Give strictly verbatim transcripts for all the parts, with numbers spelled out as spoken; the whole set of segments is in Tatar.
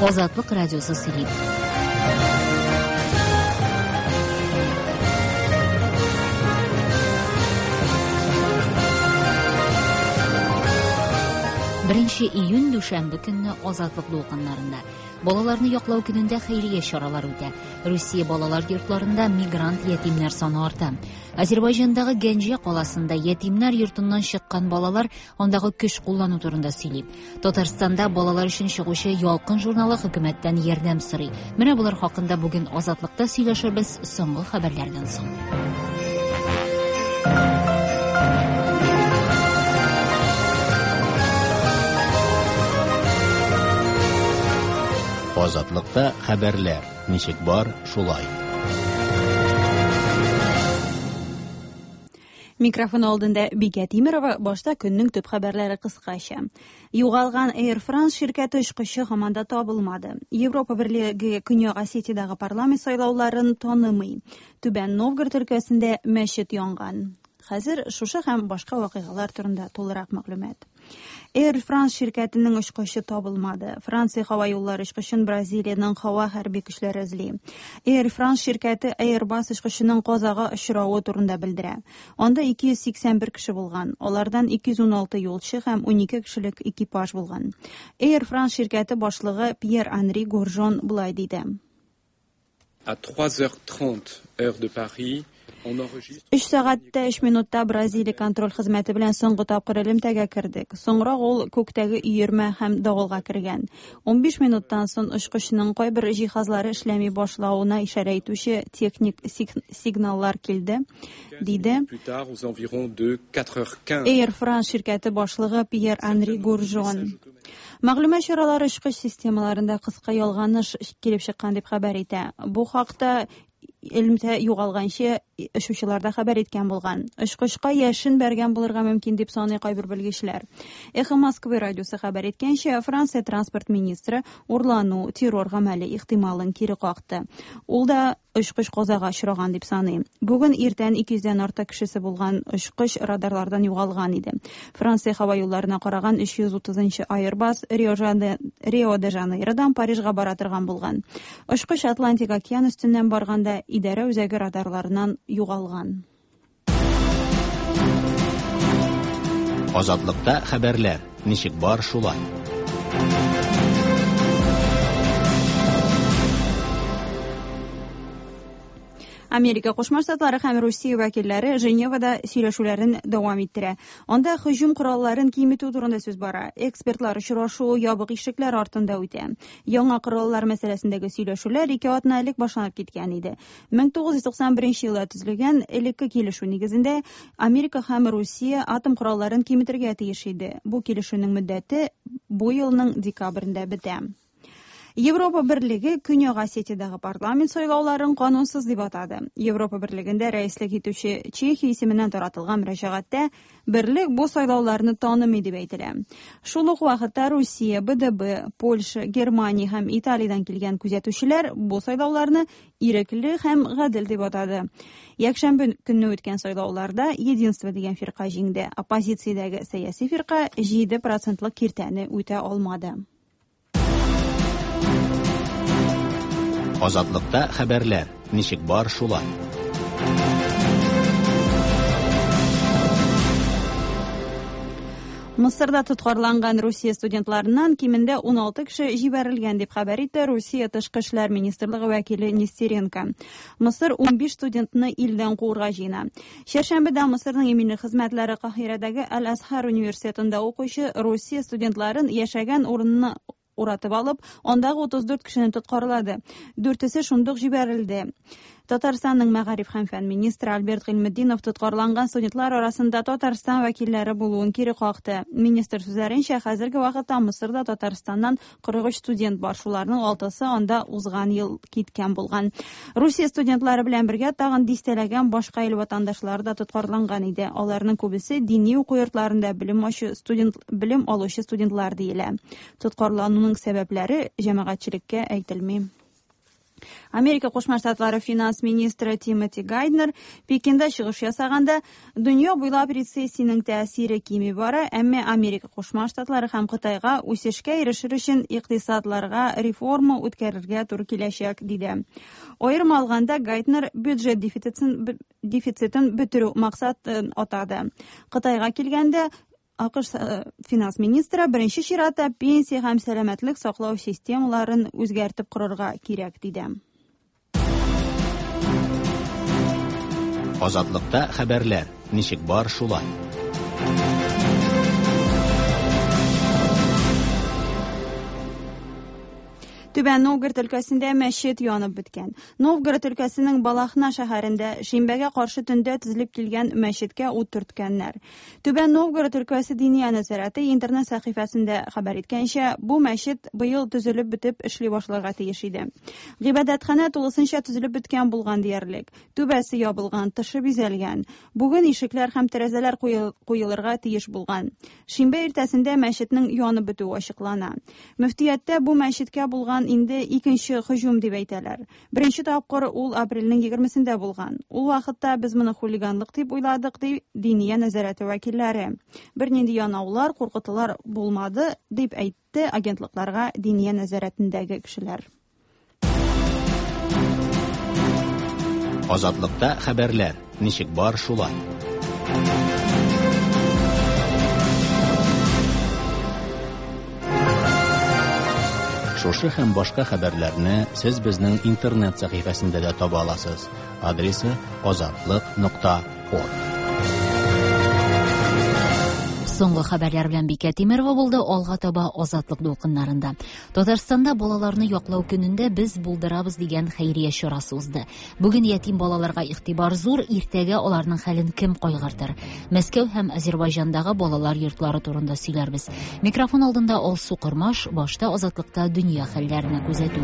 Азатлык радиосы сөйли. Беренче июнь дүшәмбе көнне Азатлык дулкыннарында балаларны яклау көнендә хәйрия чаралары үтә. Русия балалар йортларында мигрант ятимнәр саны арта. Азербайҗандагы Гәнҗә каласында ятимнәр йортыннан чыккан балалар андагы көч куллану турында сөйли. Татарстанда балалар өчен чыгучы Ялкын журналы хөкүмәттән ярдәм сорый. Менә булар хакында бүген Азатлыкта сөйләшербез соңгы хәбәрләрдән соң. Азатлыкта хәбәрләр ничек бар, шулай. Микрофон алдында Бикә Тимирова, башта көннең төп хәбәрләре кыскача. Югалган Air France ширкәте очкычы һаман да табылмады. Европа Берлеге Көньяк Осетиядәге парламент сайлауларын танымый. Түбән Новгород өлкәсендә мәчет янган. Хәзер шушы һәм башка вакыйгалар турында тулырак мәгълүмат. Air France ширкәтенең очкычы табылмады. Франция һава юллары очкычын Бразилиянең һава хәрби көчләре эзли. Air France ширкәте Airbus очкычының казага очравы турында белдерә. Анда ике йөз сиксән бер кеше булган. Алардан ике йөз уналты юлчы һәм унике кешелек экипаж булган. Air France ширкәте башлыгы Пьер-Анри Горжон болай диде. À trois heures trente, heure de Paris, Өч сәгатьтә өч минутта Бразилия контроль хезмәте белән соңгы тапкыр элемтәгә кердек. Соңрак ул күктәге өермә һәм давылга кергән. Унбиш минуттан соң очкычның кайбер җиһазлары эшләми башлавына ишарә итүче техник сигналлар килде, диде Air France ширкәте башлыгы Пьер-Анри Горжон. Мәгълүмат чаралары очкыч системаларында кыска ялганыш килеп чыккан дип хәбәр итә. Бу хакта элемтә югалганчы очучылар да хәбәр иткән булган. Очкычка яшен бәргән булырга мөмкин дип саный кайбер белгечләр. Эхо Москвы радиосы хәбәр иткәнчә, Франция транспорт министры урлану, террор гамәле ихтималын кире какты. Ул да очкыч казага очраган дип саный. Бүген иртән ике йөздән артык кешесе булган очкыч радарлардан югалган иде. Франция һава юлларына караган өч йөз утызынчы Airbus Рио де Жанейродан Парижга бара торган булган. Очкыч Атлантик океан өстеннән барганда идарә үзәге радарларынан югалган. Азатлыкта хәбәрләр ничек бар, шулай. Америка Кушма Штатлары һәм Русия вәкилләре Женевада сөйләшүләрен дәвам иттерә. Анда һөҗүм коралларын киметү турында сүз бара. Экспертлар очрашуы ябык ишекләр артында үтә. Яңа кораллар мәсьәләсендәге сөйләшүләр ике атна элек башланып киткән иде. мең тугыз йөз туксан беренче елда төзелгән элекке килешү нигезендә Америка һәм Русия атом коралларын киметергә тиеш иде. Бу килешүнең мөддәте бу елның декабрендә бетә. Европа Берлеге Көньяк Осетиядәге парламент сайлауларын канунсыз дип атады. Европа Берлегендә рәислек итүче Чехия исеменнән таратылган мөрәҗәгатьтә берлек бу сайлауларны танымый дип әйтелә. Шул ук вакытта Русия, Б Д Б, Польша, Германия һәм Италиядән килгән күзәтүчеләр бу сайлауларны ирекле һәм гадел дип атады. Якшәмбе көнне үткән сайлауларда Единство дигән фирка җиңде. Оппозициядәге сәяси фирка җиде процентлык киртәне үтә алмады. Азатлыкта хәбәрләр ничек бар, шулай. Мысырда тоткарланган Русия студентларыннан кимендә уналты кеше җибәрелгән дип хәбәр итте Русия Тышкы эшләр министрлыгы вәкиле Нестеренко. Мысыр унбиш студентны илдән куырга җыена. Чәршәмбедә Мысырның иминлек хезмәтләре Каһирәдәге Аль-Азһар университетында укучы Русия студентларын яшәгән урынны уратып алып, андагы утыз дүрт кешене тоткарлады. Дүртесе шундук җибәрелде. Татарстанның мәгариф һәм фән министры Альберт Гыйльметдинов тоткарланган студентлар арасында Татарстан вәкилләре булуын кире какты. Министр сүзләренчә, хәзерге вакытта Мысырда Татарстаннан кырык өч студент бар, шуларның алтысы анда узган ел киткән булган. Русия студентлары белән бергә тагын дистәләгән башка ил ватандашлары да тоткарланган иде. Аларның күбесе дини уку йортларында белем алучы студент, белем алучы студентлар диелә. Тоткарлануның сәбәпләре җәмәгатьчелеккә әйтелми. Америка Кушма Штатлары финанс министры Тимоти Гайднер Пекинда чыгыш ясаганда, дөнья буйлап рецессиянең тәэсире кими бара, әмма Америка Кушма Штатлары һәм Кытайга үсешкә ирешер өчен икътисадларга реформа үткәрергә туры киләчәк, диде. Аерым алганда, Гайднер бюджет дефицитын дефицитын бетерү максатын атады. Кытайга килгәндә, А К Ш финанс министры беренче чиратта пенсия һәм сәламәтлек саклау системаларын үзгәртеп корырга кирәк, диде. Азатлыкта хәбәрләр ничек бар шулай. Түбән Новгород өлкәсендә мәчет янып беткән. Новгород өлкәсенең Балахна шәһәрендә шимбәгә каршы төндә төзелеп килгән мәчеткә ут төрткәннәр. Түбән Новгород өлкәсе Диния нәзарәте интернет сәхифәсендә хәбәр иткәнчә, бу мәчет быел төзелеп бетеп эшли башларга тиеш иде. Гыйбадәтханә тулысынча төзелеп беткән булган диярлек. Түбәсе ябылган, тышы бизәлгән. Бүген ишекләр һәм тәрәзәләр куелырга тиеш булган. Шимбә иртәсендә мәчетнең янып бетүе ачыклана. Мөфтияттә бу мәчеткә булган инде икенче һөҗүм дип әйтәләр. Беренче тапкыр ул апрельнең егермесендә булган. Ул вакытта без моны хулиганлык дип уйладык, ди Диния нәзарәте вәкилләре. Бернинди янаулар, куркытулар булмады, дип әйтте агентлыкларга Диния нәзарәтендәге кешеләр. Азатлыкта хәбәрләр ничек бар шулай. Шушы һәм башка хәбәрләрне сез безнең интернет сәхифәсендә дә таба аласыз. Адресы азатлык нокта орг. Соңгы хәбәрләр белән Бикә Тимерова булды. Алга таба Азатлык дулкыннарында. Татарстанда балаларны яклау көнендә без булдырабыз дигән хәйрия чарасы узды. Бүген ятим балаларга игътибар зур, иртәгә аларның хәлен кем кайгыртыр? Мәскәү һәм Азербайҗандагы балалар йортлары турында сөйләрбез. Микрофон алдында Алсу Кормаш, башта Азатлыкта дөнья хәлләренә күзәтү.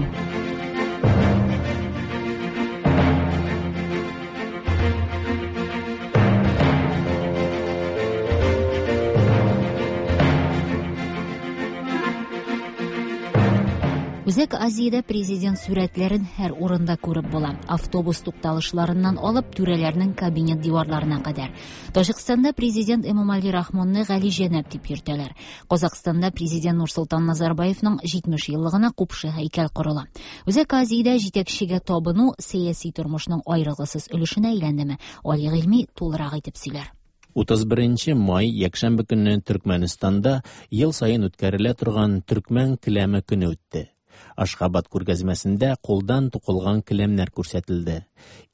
Үзәк Азиядә президент сүрәтләрен һәр урында күреп була. Автобус тукталышларыннан алып түрәләрнең кабинет диварларына кадәр. Таҗикстанда президент Эмомали Рахмонны Гали Җәнәп дип йөртәләр. Казакъстанда президент Нурсолтан Назарбаевның җитмеш еллыгына купшы һәйкәл корыла. Үзәк Азиядә җитәкчегә табыну сәяси тормышның аерылгысыз өлешенә әйләндеме? Али Гыйльми тулырак итеп сөйләр. Утыз беренче май якшәмбе көнне Төркмәнстанда ел саен үткәрелә торган Төркмән келәме көне үтте. Ашхабад күргәзмәсендә кулдан тукылган келәмнәр күрсәтелде.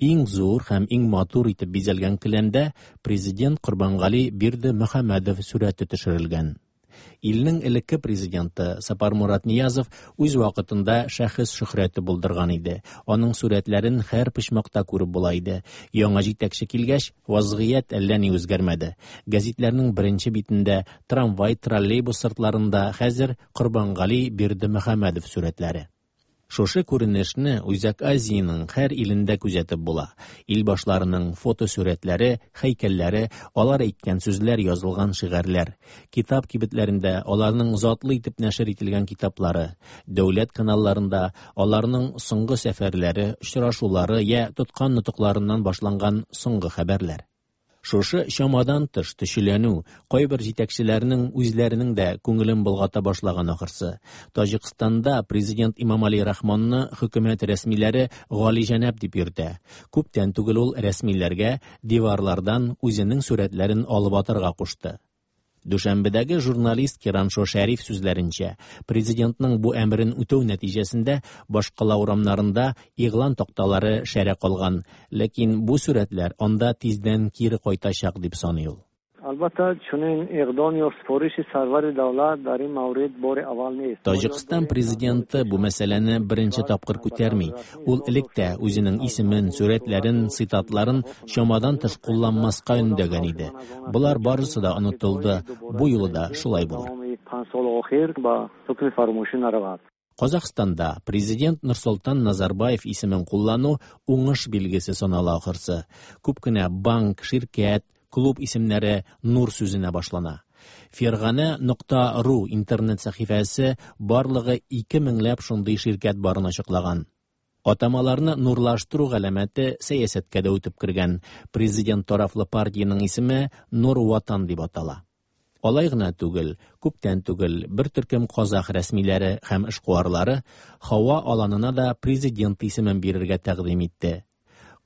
Иң зур һәм иң матур итеп бизәлгән келәмдә президент Корбангали Бердымөхәммәдов сүрәте төшерелгән. Илнең элекке президенты Сапармурат Ниязов үз вакытында шәхес шөһрәте булдырган иде. Аның сүрәтләрен һәр почмакта күреп була иде. Яңа җитәкче килгәч, вазгыять әллә ни үзгәрмәде. Гәзитләрнең беренче битендә, трамвай, троллейбус сыртларында хәзер Корбангали Бердымөхәммәдов сүрәтләре. Шушы күренешне Үзәк Азиянең һәр илендә күзәтеп була. Ил башларының фотосурәтләре, һәйкәлләре, алар әйткән сүзләр язылган шигарьләр, китап кибетләрендә аларның затлы итеп нәшер ителгән китаплары, дәүләт каналларында аларның соңгы сәфәрләре, очрашулары я тоткан нотыкларыннан башланган соңгы хәбәрләр. Шушы чамадан тыш төшеләнү кайбер җитәкчеләрнең үзләренең дә күңелен болгата башлаган ахырсы. Таҗикстанда президент Имамали Рахмонны хөкүмәт рәсмиләре Гали Җәнәп дип йөртә. Күптән түгел ул рәсмиләргә диварлардан үзенең сүрәтләрен алып атарга кушты. Дүшәмбедәге журналист Кираншо Шәриф сүзләренчә, президентның бу әмерен үтәү нәтиҗәсендә башкала урамнарында игълан такталары шәрә калган, ләкин бу сүрәтләр анда тиздән кире кайтачак дип саный ул. Албатта, чунин иқдом ё супориши сарвари давлат дар ин маврид бори аввал нест. Таҗикстан президенты бу мәсьәләне беренче тапкыр күтәрми. Ул элек тә үзенең исемен, сүрәтләрен, цитатларын чамадан тыш кулланмаска өндәгән иде. Болар барысы да онытылды. Бу юлы да шулай булыр. Казахстанда президент Нурсолтан Назарбаев исемен куллану уңыш билгесе санала ахырсы. Күп кенә банк, ширкәт, клуб исемнәре Нур сүзенә башлана. Фергана нокта ру интернет сәхифәсе барлыгы ике меңләп шундый ширкәт барын ачыклаган. Атамаларны нурлаштыру галәмәте сәясәткә дә үтеп кергән. Президент тарафлы партиянең исеме Нур Ватан дип атала. Алай гына түгел, күптән түгел бер төркем казах рәсмиләре һәм эшкуарлары һава аланына да президент исемен бирергә тәкъдим итте.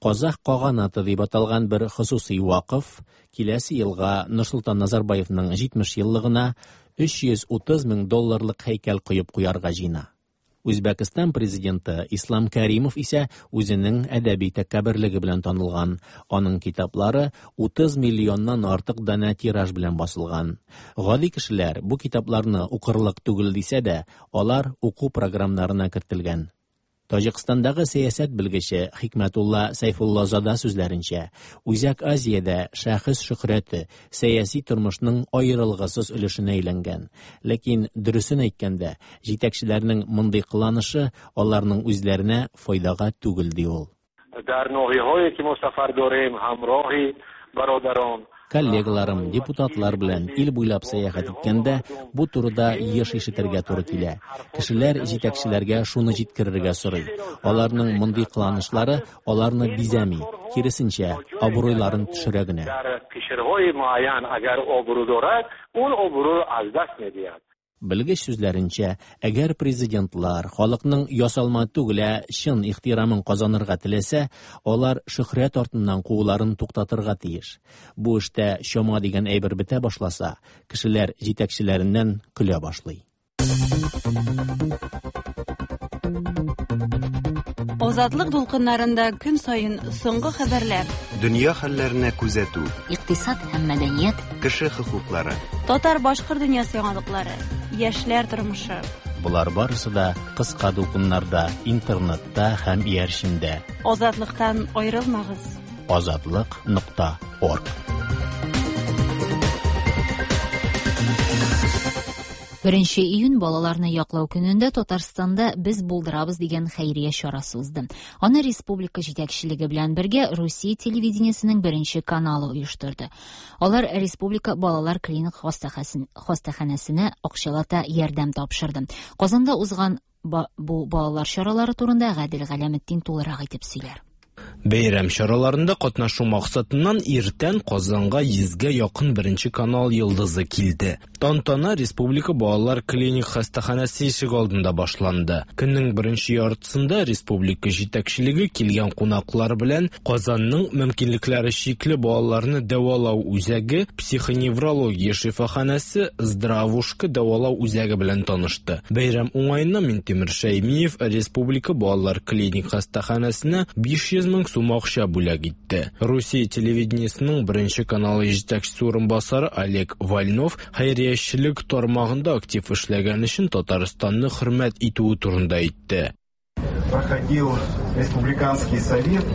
Казах каганаты дип аталган бер хосусый вакыф киләсе елга Нурсолтан Назарбаевның җитмеш еллыгына өч йөз утыз мең долларлык һәйкәл куеп куярга җыена. Үзбәкстан президенты Ислам Каримов исә үзенең әдәби тәкәбберлеге белән танылган. Аның китаплары утыз миллионнан артык данә тираж белән басылган. Гади кешеләр бу китапларны укырлык түгел дисә дә, алар уку програмнарына кертелгән. Таҗикстандагы сәясәт белгече Хикмәтулла Сайфуллазада сүзләренчә, Үзәк Азиядә шәхес шөһрәте сәяси тормышның аерылгысыз өлешенә әйләнгән. Ләкин дөресен әйткәндә, җитәкчеләрнең мондый кыланышы аларның үзләренә файдага түгел, ди ул. Дар ноҳияҳое ки мо сафар дорем, ҳамроҳи бародарон, Коллегаларым, депутатлар белән ил буйлап сәяхәт иткәндә бу турыда еш ишетергә туры килә. Кешеләр җитәкчеләргә шуны җиткерергә сорый. Аларның мондый кыланышлары аларны бизәми, киресенчә, абруйларын төшерә генә. Белгеч сүзләренчә, әгәр президентлар халыкның ясалма түгел, ә чын ихтирамын казанырга теләсә, алар шөһрәт артыннан кууларын туктатырга тиеш. Бу эштә чама дигән әйбер бетә башласа, кешеләр җитәкчеләреннән көлә башлый. Азатлык дулкыннарында көн саен соңгы хәбәрләр, дөнья хәлләренә күзәтү, икътисад һәм мәдәният, кеше хокуклары, татар-башкорт дөньясы яңалыклары, яшьләр тормышы. Болар барысы да кыска дулкыннарда, интернетта һәм иярчендә. Азатлыктан аерылмагыз. Азатлык нокта орг. Беренче июнь балаларны яклау көнендә Татарстанда Без булдырабыз дигән хәйрия чарасы узды. Аны республика җитәкчелеге белән бергә Русия телевидениесенең беренче каналы оештырды. Алар республика балалар клиник хастаханәсенә акчалата ярдәм тапшырды. Казанда узган бу балалар чаралары турында Гадел Галәметдин тулырак итеп сөйләр. Бәйрәм чараларында катнашу максатыннан иртән Казанга йөзгә якын беренче канал йолдызы килде. Тантана Республика балалар клиник хастаханәсе ишек алдында башланды. Көннең беренче яртысында республика җитәкчелеге килгән кунаклар белән Казанның мөмкинлекләре чикле балаларны дәвалау үзәге, психоневрология шифаханәсе, Здравушка дәвалау үзәге белән танышты. Бәйрәм уңаеннан Минтимер Шәймиев Республика балалар клиник хастаханәсенә биш йөз мең сум акча бүләк итте. Русия телевидениесының беренче каналы җитәкчесе урынбасары Олег Вольнов хәйриячелек тармагында актив эшләгән өчен Татарстанны хөрмәт итүе турында әйтте. Проходил республиканский совет.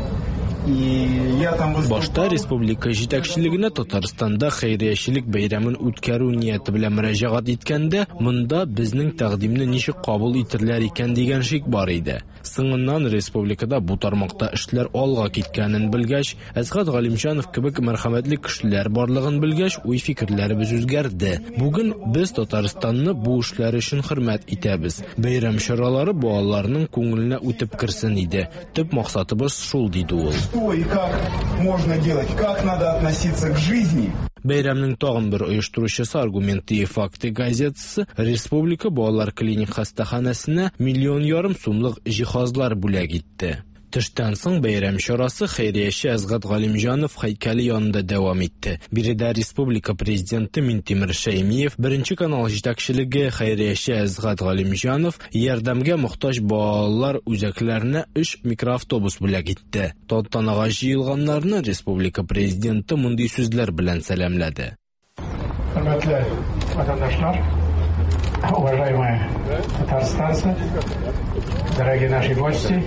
Башта республика җитәкчелегенә Татарстанда хәйриячелек бәйрәмен үткәрү нияте белән мөрәҗәгать иткәндә, монда безнең тәкъдимне ничек кабул итерләр икән дигән шик бар иде. Соңыннан республикада бу тармакта эшләр алга киткәнен белгәч, Әсгать Галимҗанов кебек мәрхәмәтле кешеләр барлыгын белгәч, уй-фикерләребез үзгәрде. Бүген без Татарстанны бу эшләр өчен хөрмәт итәбез. Бәйрәм чаралары балаларның күңеленә үтеп керсен иде. Төп максатыбыз шул, диде ул. Что и как можно делать, как надо относиться к жизни. Бәйрәмнең тагын бер оештыручысы Аргументы и факты газетасы Республика балалар клиник хастаханәсенә миллион ярым сумлык җиһазлар бүләк итте. Төштән соң бәйрәм чарасы хәйрияче Әсгать Галимҗанов һәйкәле янында дәвам итте. Биредә республика президенты Минтимер Шәймиев, беренче канал җитәкчелеге хәйрияче Әсгать Галимҗанов ярдәмгә мохтаҗ балалар үзәкләренә өч микроавтобус бүләк итте. Тантанага җыелганнарны республика президенты мондый сүзләр белән сәламләде. Хөрмәтле ватандашлар, уважаемые татарстанцы, дорогие наши гости,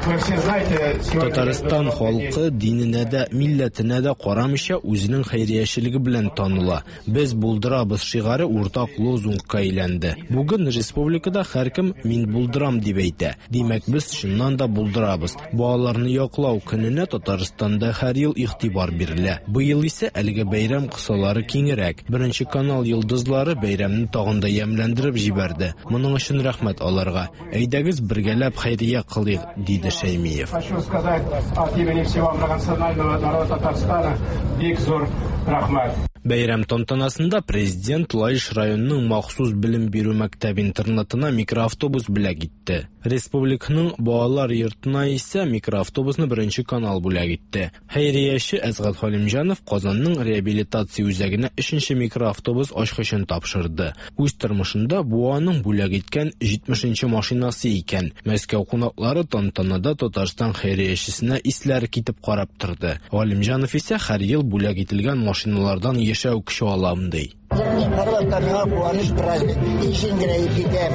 вы все знаете, сегодня Татарстан халкы диненә дә, милләтенә дә карамыйча үзенең хәйриячелеге белән таныла. Без булдырабыз шигаре уртак лозунгка әйләнде. Бүген республикада һәркем мин булдырам дип әйтә. Димәк, без чыннан да булдырабыз. Балаларны яклау көненә Татарстанда һәр ел игътибар бирелә. Быел исә әлеге бәйрәм кысалары киңрәк. Беренче канал йолдызлары бәйрәмне тагын да ямьләндереп җибәрде. Моның өчен рәхмәт аларга. Әйдәгез бергәләп хәйрия кылыйк, диде Шәймиев. Хочу сказать от имени всего многонационального народа Татарстана бик зур рәхмәт. Бәйрәм тантанасында президент Лаеш районының махсус белем бирү мәктәп-интернатына микроавтобус бүләк итте. Республиканың балалар йортына исә микроавтобусны Беренче канал бүләк итте. Хәйрияче Әсгать Халимҗанов Казанның реабилитация үзәгенә өченче микроавтобус ачкычын тапшырды. Үз тормышында бу аның бүләк иткән җитмешенче машинасы икән. Мәскәү кунаклары тантанада Татарстан хәйриячесенә исләре китеп карап торды. Галимҗанов исә һәр ел бүләк ителгән машиналардан яшәү көче алам ди. Һәрвакытта миңа куаныч, праздник. Ишен генә китәм.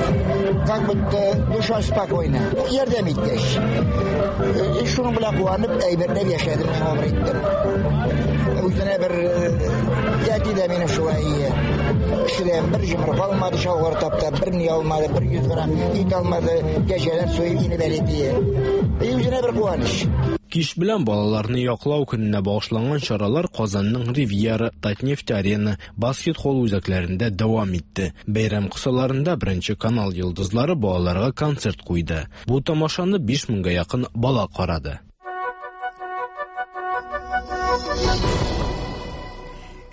Как будто душа спокойна. Ярдәм иткәч. Шуның белән куанып, әйбәтләп яшәдем, мин гомер иттем. Үзенә бер әти дә минем шулай ие. Кешедән бер җомырка алмады, чалгыр тапта, бер ни алмады, бер йөз грамм ит алмады, кәҗәдән суеп инеп әле тие. Үзенә бер куаныч. Кич белән балаларны яклау көненә багышланган чаралар Казанның Ривьера, Татнефть Арена, баскет-холл үзәкләрендә дәвам итте. Бәйрәм кысаларында Беренче канал йолдызлары балаларга концерт куйды. Бу тамашаны биш меңгә якын бала карады.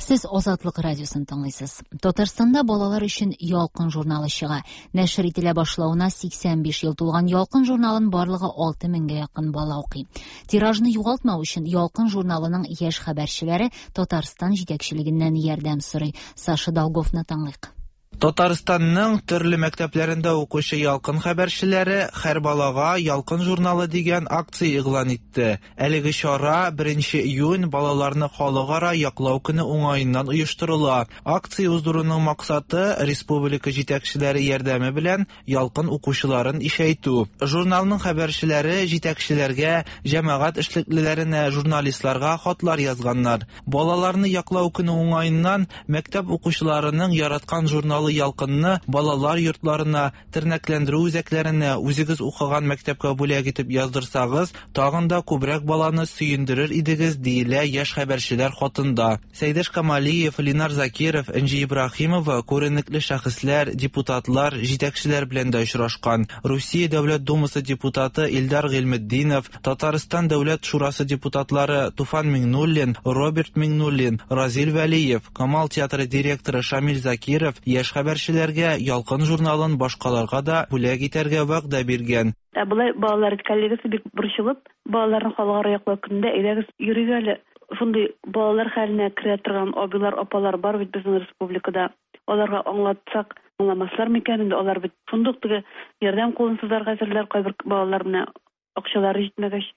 Сез Азатлык радиосын тыңлыйсыз. Татарстанда балалар өчен Ялкын журналы чыга. Нәшер ителә башлавына сиксән биш ел тулган Ялкын журналын барлыгы алты меңгә якын бала укый. Тиражны югалтмау өчен Ялкын журналының яшь хәбәрчеләре Татарстан җитәкчелегеннән ярдәм сорый. Саша Долговны тыңлыйк. Татарстанның төрле мәктәпләрендә укучы Ялкын хәбәрчеләре һәр балага Ялкын журналы дигән акция игълан итте. Әлеге чара беренче июнь балаларны халыкара яклау көне уңаеннан оештырыла. Акция уздыруның максаты республика җитәкчеләре ярдәме белән Ялкын укучыларын ишәйтү. Журналның хәбәрчеләре җитәкчеләргә, җәмәгать эшлеклеләренә, журналистларга хатлар язганнар. Балаларны яклау көне уңаеннан мәктәп укучыларының яраткан журналы Ялкынны балалар йортларына, тернәкләндерү үзәкләренә, үзегез укыган мәктәпкә бүләк итеп яздырсагыз, тагын да күбрәк баланы сөендерер идегез, диелә яшь хәбәрчеләр хатында. Сәйдәш Камалиев, Ленар Закиров, Энҗи Ибраһимова күренекле шәхесләр, депутатлар, җитәкчеләр белән дә очрашкан. Русия Дәүләт Думасы депутаты Илдар Гыйльметдинов, Татарстан Дәүләт Шурасы депутатлары Туфан Миңнуллин, Роберт Миңнуллин, Разил Вәлиев, Камал театры директоры Шамил Закиров яшь хәбәрчеләргә Ялкын журналын башкаларга да бүләк итәргә вәгъдә биргән. Ә болай балалар коллегасы бик борчылып, балаларны халыкара яклау көнендә әйдәгез йөрик әле. Шундый балалар хәленә керә торган абыйлар, апалар бар бит безнең республикада. Аларга аңлатсак, аңламаслар микән инде, алар бит шундук теге ярдәм кулын сузарга әзерләр. Кайбер балалар менә акчалары җитмәгәч,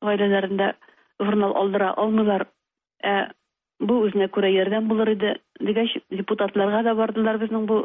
гаиләләрендә журнал алдыра алмыйлар. Ә бу үзенә күрә ярдәм булыр иде дигәч, депутатларга да бардылар безнең бу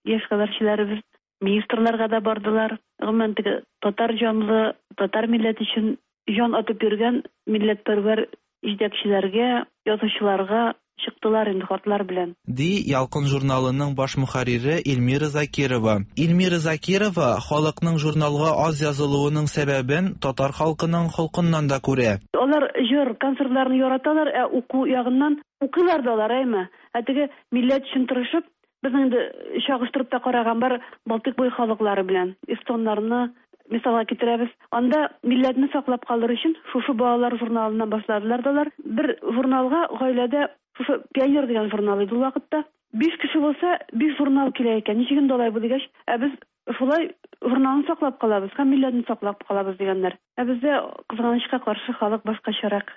яшь хәбәрчеләребез, министрларга да бардылар. Гомумән теге татар җанлы, татар милләте өчен җан атып йөргән милләтпәрвәр җитәкчеләргә, язучыларга чыктылар инде хатлар белән. Ди Ялкын журналының баш мөхәррире Эльмира Закирова. Эльмира Закирова халыкның журналга аз язылуының сәбәбен татар халкының холкыннан да күрә. Алар җыр, концертларны яраталар, ә уку ягыннан укыйлар да алар, әйме? Ә теге милләт өчен тырышып, безнең инде чагыштырып та караган бар Балтыйк буе халыклары белән, эстоннарны мисалга китерәбез. Анда милләтне саклап калыр өчен шушы балалар журналыннан башладылар да алар. Бер журналга гаиләдә шушы Пионер дигән журнал иде ул вакытта. Биш кеше булса, биш журнал килә икән. Ничек инде алай бу дигәч, ә без шулай журналны саклап калабыз һәм милләтне саклап калабыз дигәннәр. Ә бездә кызганычка каршы халык башкачарак.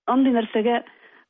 Андый нәрсәгә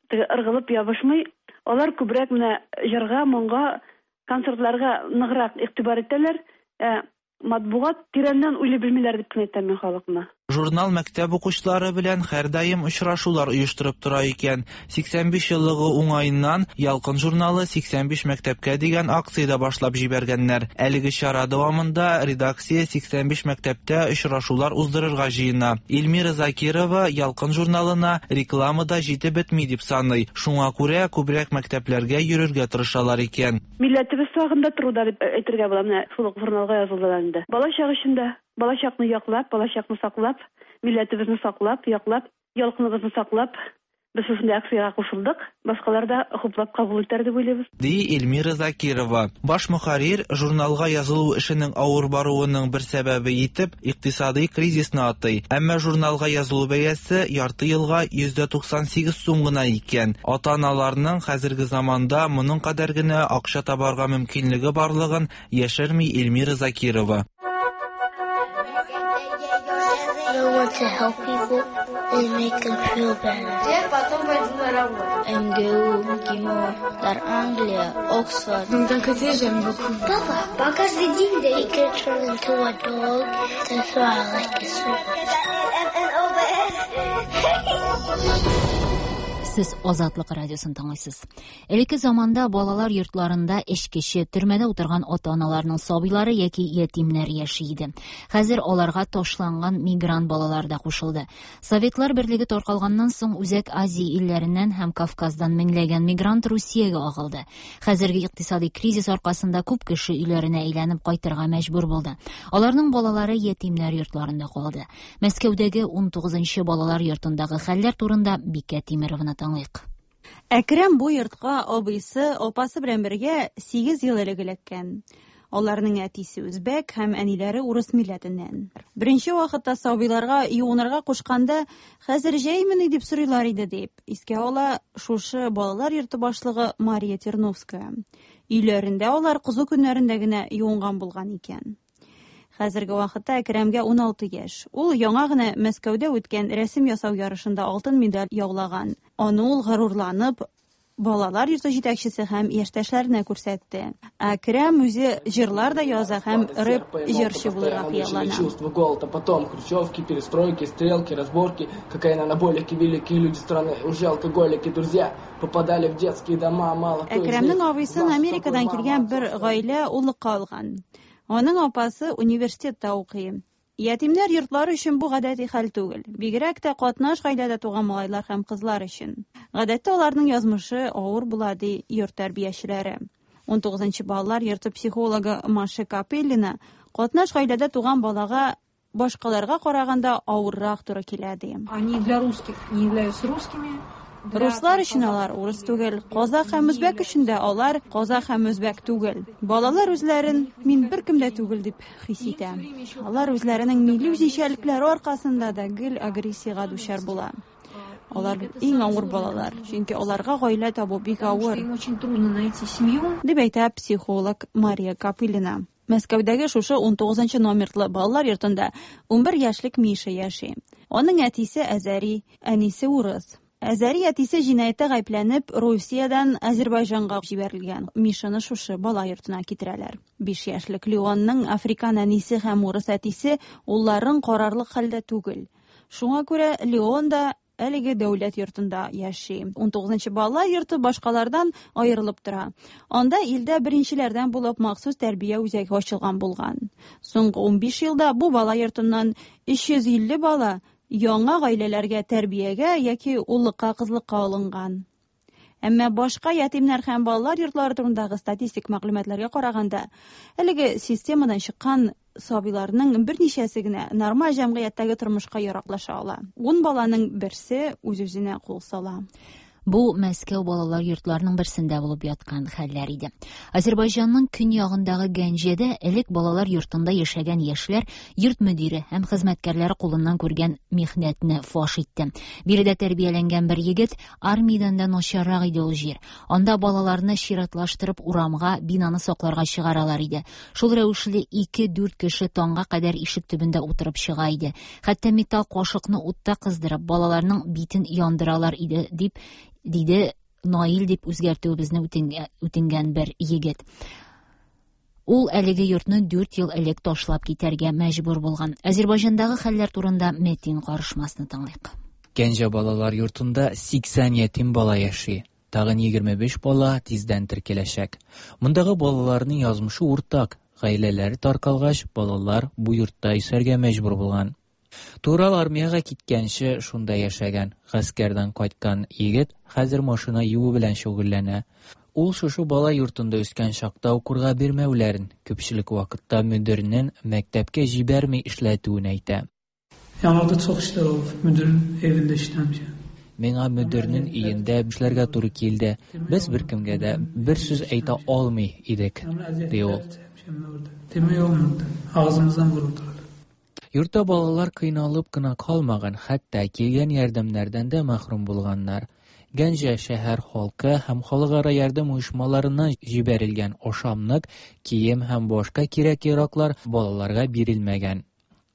теге ыргылып ябышмый. Алар күбрәк менә җырга, моңга, концертларга ныграк игътибар итәләр. Ә матбугат тирәннән уйлый белмиләр дип кенә әйтәм мин халыкны. Журнал мәктәп укучылары белән һәрдаим очрашулар оештырып тора икән. сиксән биш еллыгы уңаеннан Ялкын журналы сиксән биш мәктәпкә дигән акция башлап җибәргәннәр. Әлеге чара дәвамында редакция сиксән биш мәктәптә очрашулар уздырырга җыена. Эльмира Закирова Ялкын журналына реклама да җитеп бетми дип саный. Шуңа күрә күбрәк мәктәпләргә йөрергә тырышалар икән. Милләтебез сагында торуда дип әйтергә була. Менә шул ук журналга язылды инде. Балачак өчен дә балачакны яклап, балачакны саклап, милләтебезне саклап, яклап, ялкыныбызны саклап, Без шушындый акциягә кушылдык, башкалар да хуплап кабул итәр дип уйлыйбыз. Ди Эльмира Закирова. Баш мөхәррир журналга язылу эшенең авыр баруының бер сәбәбе итеп икътисади кризисны атый. Әмма журналга язылу бәясе ярты елга йөз туксан сигез сум гына икән. Ата-аналарның хәзерге заманда моның кадәр генә акча табарга мөмкинлеге барлыгын яшерми Эльмира Закирова. I want to help people and make them feel better. МГУ, МГИМО, Дар Англия, Оксфорд. Папа, по каждый день they can turn into a dog. That's why I like this one. Сез Азатлык радиосын тыңлыйсыз. Элекке заманда балалар йортларында эчкече, төрмәдә утырган ата-аналарның сабыйлары яки ятимнәр яши иде. Хәзер аларга ташланган мигрант балалар да кушылды. Советлар берлеге таркалганнан соң Үзәк Азия илләреннән һәм Кавказдан меңләгән мигрант Русиягә агылды. Хәзерге икътисади кризис аркасында күп кеше өйләренә әйләнеп кайтырга мәҗбүр булды. Аларның балалары ятимнәр йортларында калды. Мәскәүдәге ун тугызынчы балалар йортындагы хәлләр турында Бикә Тимеровна тыңлыйк. Әкрәм бу йортка абыйсы, апасы белән бергә сигез ел элек эләккән. Аларның әтисе үзбәк һәм әниләре урыс милләтеннән. Беренче вакытта сабыйларга юынырга кушканда, хәзер җәймени дип сорыйлар иде дип искә ала шушы балалар йорты башлыгы Мария Терновская. Өйләрендә алар кызу көннәрендә генә юынган булган икән. Хәзерге вакытта Әкрәмгә ун алты яшь. Ул яңа гына Мәскәүдә үткән рәсем ясау ярышында алтын медаль яулаган. Аны ул горурланып балалар йорты җитәкчесе һәм яшьтәшләренә күрсәтте. Әкрәм үзе җырлар да яза һәм рэп җырчы булырга хыяллана. Чувство голода, потом хрущевки, перестройки, стрелки, разборки, какая анаболики, великие люди страны, уже алкоголики, друзья попадали в детские дома, мало кто из них. Әкрәмнең абыйсын Америкадан килгән бер гаилә уллыкка алган. Аның апасы университетта укый. Ятимнәр йортлары өчен бу гадәти хәл түгел. Бигрәк тә катнаш гаиләдә туган малайлар һәм кызлар өчен. Гадәттә аларның язмышы авыр була, ди йорт тәрбиячеләре. ун тугызынчы балалар йорты психологы Маша Капеллина катнаш гаиләдә туган балага башкаларга караганда авыррак туры килә, ди. Они для русских не являются русскими. Руслар өчен алар урыс түгел, казах һәм үзбәк өчен дә алар казах һәм үзбәк түгел. Балалар үзләрен мин беркем дә түгел дип хис итә. Алар үзләренең милли үзенчәлекләре аркасында да гел агрессиягә дучар була. Алар иң авыр балалар, чөнки аларга гаилә табу бик авыр. Дип әйтә психолог Мария Капылина. Мәскәүдәге шушы ун тугызынчы номерлы балалар йортында ун бер яшьлек Миша яши. Аның әтисе әзәри, әнисе урыс. Әзәри әтисе җинаятьтә гаепләнеп, Русиядән Азербайҗанга җибәрелгән. Мишаны шушы бала йортына китерәләр. Биш яшьлек Леонның африкан әнисе һәм урыс әтисе улларын карарлык хәлдә түгел. Шуңа күрә Леон да әлеге дәүләт йортында яши. ун тугызынчы балалар йорты башкалардан аерылып тора. Анда илдә беренчеләрдән булып махсус тәрбия үзәге ачылган булган. Соңгы ун биш елда бу бала йортыннан өч йөз илле бала яңа гаиләләргә тәрбиягә яки уллыкка, кызлыкка алынган. Әмма башка ятимнәр һәм балалар йортлары турындагы статистик мәгълүматларга караганда, әлеге системадан чыккан сабыйларның берничәсе генә нормаль җәмгыятьтәге тормышка яраклаша ала. Ун баланың берсе үз-үзенә кул сала. Бу Мәскәү балалар йортларының берсендә булып яткан хәлләр иде. Азербайҗанның көньягындагы Гәнҗәдә элек балалар йортында яшәгән яшьләр йорт мөдире һәм хезмәткәрләре кулыннан күргән михнәтне фаш итте. Биредә тәрбияләнгән бер егет армиядән дә начаррак иде ул җир. Анда балаларны чиратлаштырып урамга, бинаны сакларга чыгаралар иде. Шул рәвешле ике-дүрт кеше таңга кадәр ишек төбендә утырып чыга иде. Хәтта металл кашыкны утта кыздырып, балаларның битен яндыралар иде, дип диде Наил дип үзгәртүебезне үтенгән бер егет. Ул әлеге йортны дүрт ел элек ташлап китәргә мәҗбүр булган. Азербайҗандагы хәлләр турында Метин карышмасны тыңлыйк. Гәнҗә балалар йортында сиксән ятим бала яши. Тагын егерме биш бала тиздән теркәләчәк. Мондагы балаларның язмышы уртак. Гаиләләре таркалгач, балалар бу йортта яшәргә мәҗбүр булган. Турал армиягә киткәнче шунда яшәгән, гаскәрдән кайткан егет хәзер машина юу белән шөгыльләнә. Ул шушы бала йортында үскән чакта укырга бирмәүләрен, күпчелек вакытта мөдирнең мәктәпкә җибәрми эшләтүен әйтә. Yanlarda çox işlər olub, müdirin evində işləmişəm. Миңа мөдирнең өендә эшләргә туры килде. Без беркемгә дә бер сүз әйтә алмый идек, ди ул. Йортта балалар кыйналып кына калмаган, хәтта килгән ярдәмнәрдән дә мәхрүм булганнар. Гәнҗә шәһәр халкы һәм халыкара ярдәм оешмаларыннан җибәрелгән ашамлык, кием һәм башка кирәк-яраклар балаларга бирелмәгән.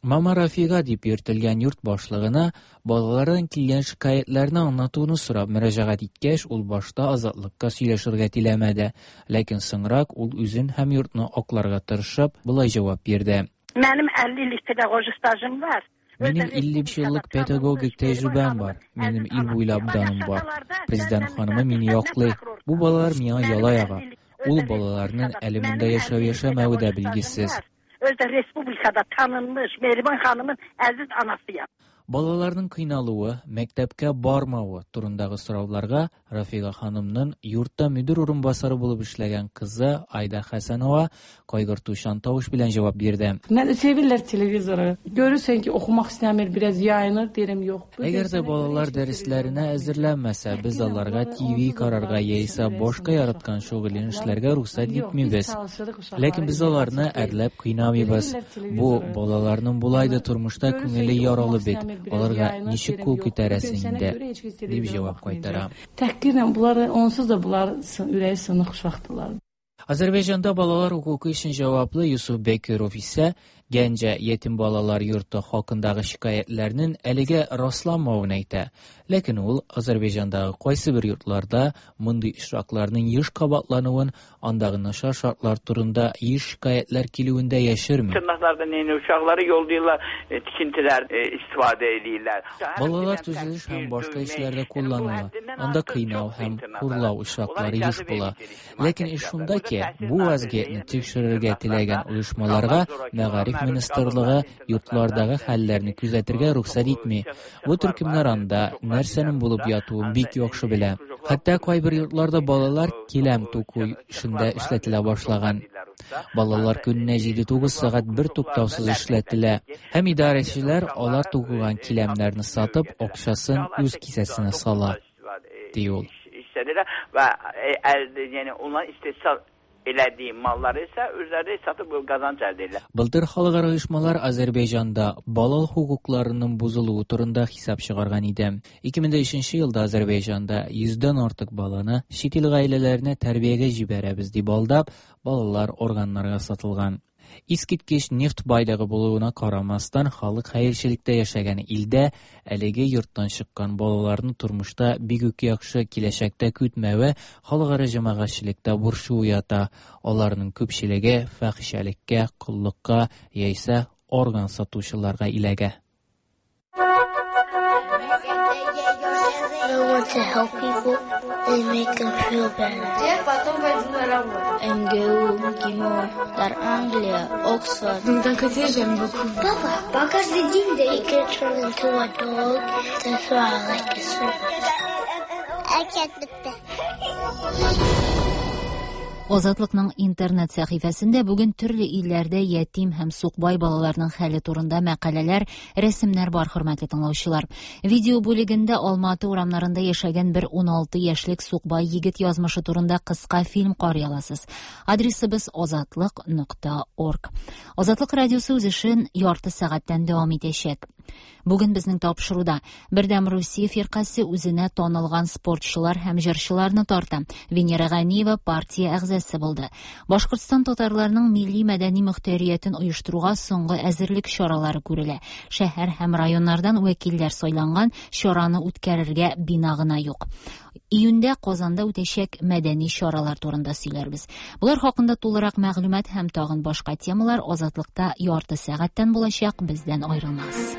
Мама Рафига дип йөртелгән йорт башлыгына балалардан килгән шикаятьләрне аңлатуны сорап мөрәҗәгать иткәч, ул башта Азатлыкка сөйләшергә теләмәде, ләкин соңрак ул үзен һәм йортны акларга тырышып, болай җавап бирде. Минем илле еллык педагогик стажым бар. Минем илле еллык педагогик тәҗрибәм бар. Минем ил буйлап даным бар. Президент ханымы мине яклый. Бу балалар миңа яла яга. Ул балаларның әле монда яшәү-яшәмәве дә билгесез. Özdə respublikada tanınmış Mehriban xanımın əziz anasıyam. Балаларның кыйналуы, мәктәпкә бармавы турындагы сорауларга Рафига ханымның йортта мөдир урынбасары булып эшләгән кызы Айда Хәсәнова кайгыртучан тавыш белән җавап бирде. Nə sevirlər televizoru. Görürsən ki, oxumaq istəmir, biraz yayınır, deyirəm yox. Әгәр дә балалар дәресләренә әзерләнмәсә, без аларга T V карарга яисә башка яраткан шөгылен эшләргә рөхсәт итмибез. Ләкин без аларны әрләп кыйнамыйбыз. Бу балаларның болай да тормышта күңеле яралы бит. Аларга ничек кул күтәрәсең инде, дип җавап кайтара. Тәхқирlə bunları onsuz da bunlar ürəyi sınıq uşaqdılar. Azərbaycanda balalar hüququ üçün cavablı Yusuf Bekirov isə Gəncə yetim balalar yurtu haqqındakı şikayətlərinin әлегә rastlanmavını әйтә. Ләкин ул Азərбайҗандагы кайсы бер йортларда мондый очракларның еш кабатлануын, андагы начар шартлар турында еш шикаятьләр килүен дә яшерми. Tırnaqlarda neyni uşaqları yollayırlar, tikintilər istifadə edirlər. Балалар төзелеш һәм башка эшләрдә кулланыла. Анда кыйнау һәм хурлау очраклары еш була. Ләкин эш шунда ки, бу вазгыятьне тикшерергә теләгән оешмаларга мәгариф министрлыгы йортлардагы хәлләрне күзәтергә рөхсәт итми. Бу төркемнәр анда нәрсәнең булып ятуын бик яхшы белә. Хәтта кайбер йортларда балалар киләм туку эшендә эшләтелә башлаган. Балалар көненә җиде-тугыз сәгать бер туктаусыз эшләтелә. Һәм идарәчеләр алар тукыган киләмнәрне сатып, акчасын үз кесәсенә сала, ди ул. Və yəni onların istehsal elədiyi malları isə özləri satıb qazanc əldə edirlər. Былтыр халыкара оешмалар Азәрбайҗанда бала хокукларының бозылуы турында хисап чыгарган иде. ике мең өченче елда Азәрбайҗанда йөздән артык баланы чит ил гаиләләренә тәрбиягә җибәрәбез дип алдап, балалар органнарга сатылган. Искиткеч нефть байлыгы булуына карамастан, халык хәерчелектә яшәгән илдә әлеге йорттан чыккан балаларны тормышта бик үк яхшы киләчәктә көтмәве халыкара җәмәгатьчелектә борчу уята. Аларның күпчелеге фәхишәлеккә, коллыкка яисә орган сатучыларга иләгә. I want to help people and make them feel better. Я потом пойду на работу. М Г У, МГИМО, Дар Англия, Оксфорд. D'un côté, j'aime beaucoup. Папа, по каждый день they can turn into a dog. That's why I like this one. I can't look. Азатлыкның интернет сәхифәсендә бүген төрле илләрдә ятим һәм сукбай балаларның хәле турында мәкаләләр, рәсемнәр бар, хөрмәтле тыңлаучылар. Видео бүлегендә Алматы урамнарында яшәгән бер ун алты яшьлек сукбай егет язмышы турында кыска фильм карый аласыз. Адресыбыз азатлык нокта орг. Азатлык радиосы үз эшен ярты сәгатьтән дәвам итәчәк. Бүген безнең тапшыруда Бердәм Русия фиркасе үзенә танылган спортчылар һәм җырчыларны тарта. Венера Ганиева партия әгъзасы булды. Башкортстан татарларының милли мәдәни мөхтәриятен оештыруга соңгы әзерлек чаралары күрелә. Шәһәр һәм районнардан вәкилләр сайланган, чараны үткәрергә бина гына юк. Июньдә Казанда үтәчәк мәдәни чаралар турында сөйләрбез. Булар хакында тулырак мәгълүмат һәм тагын башка темалар Азатлыкта ярты сәгатьтән булачак, бездән аерылмагыз.